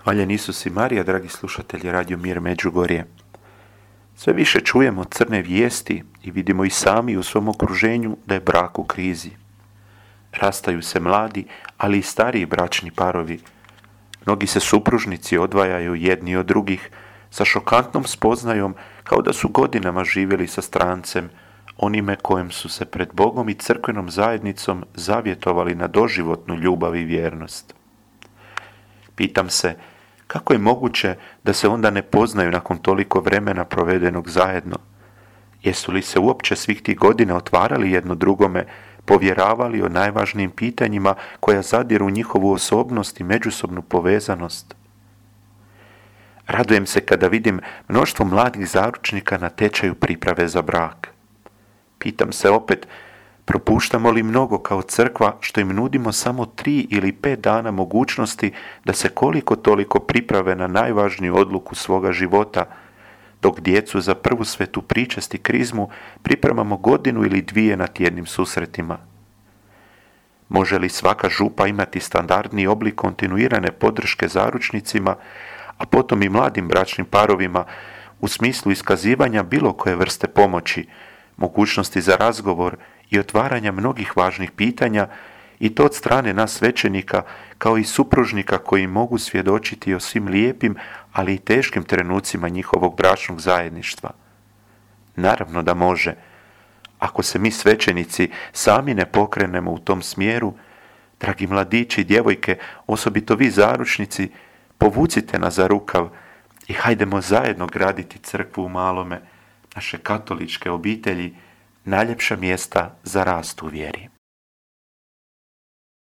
Hvaljen Isus i Marija, dragi slušatelji Radio Mir Međugorje. Sve više čujemo crne vijesti i vidimo i sami u svom okruženju da je brak u krizi. Rastaju se mladi, ali i stariji bračni parovi. Mnogi se supružnici odvajaju jedni od drugih sa šokantnom spoznajom kao da su godinama živjeli sa strancem, onime kojem su se pred Bogom i crkvenom zajednicom zavjetovali na doživotnu ljubav i vjernost. Pitam se, kako je moguće da se onda ne poznaju nakon toliko vremena provedenog zajedno? Jesu li se uopće svih tih godina otvarali jedno drugome, povjeravali o najvažnijim pitanjima koja zadiru u njihovu osobnost i međusobnu povezanost? Radujem se kada vidim mnoštvo mladih zaručnika na tečaju priprave za brak. Pitam se opet, propuštamo li mnogo kao crkva što im nudimo samo 3 ili 5 dana mogućnosti da se koliko toliko priprave na najvažniju odluku svoga života, dok djecu za prvu svetu pričest i krizmu pripremamo 1 ili 2 na tjednim susretima? Može li svaka župa imati standardni oblik kontinuirane podrške zaručnicima, a potom i mladim bračnim parovima u smislu iskazivanja bilo koje vrste pomoći, mogućnosti za razgovor i otvaranja mnogih važnih pitanja, i to od strane nas svećenika kao i supružnika koji mogu svjedočiti o svim lijepim, ali i teškim trenucima njihovog bračnog zajedništva? Naravno da može. Ako se mi svećenici sami ne pokrenemo u tom smjeru, dragi mladići i djevojke, osobito vi zaručnici, povucite nas za rukav i hajdemo zajedno graditi crkvu u malome, naše katoličke obitelji, najljepša mjesta za rast u vjeri.